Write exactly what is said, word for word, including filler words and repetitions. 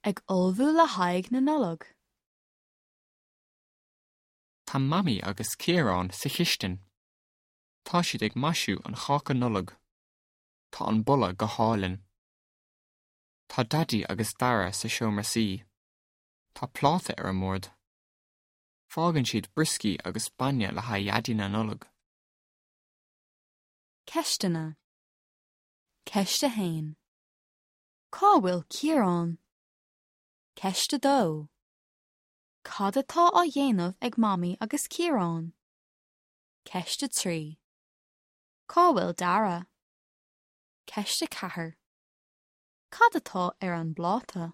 Ag ullmhú le haghaidh na Nollag. Tá Mamaí agus Ciarán sa chistin. Tá siad ag maisiú an cháca Nollag. Tá an boladh go hálainn. Tá Daidí agus Dara sa seomra suí. Tá pláta ar an mbord. Fágann siad brioscaí agus bainne le haghaidh Dhaidí na Nollag. Ceisteanna. Ceist a haon. Cá bhfuil Ciarán? Ceist a dó. Cad atá á dhéanamh ag Mamaí agus Ciarán? Ceist a trí. Cá bhfuil Dara? Ceist a ceathair. Cad atá ar an bpláta?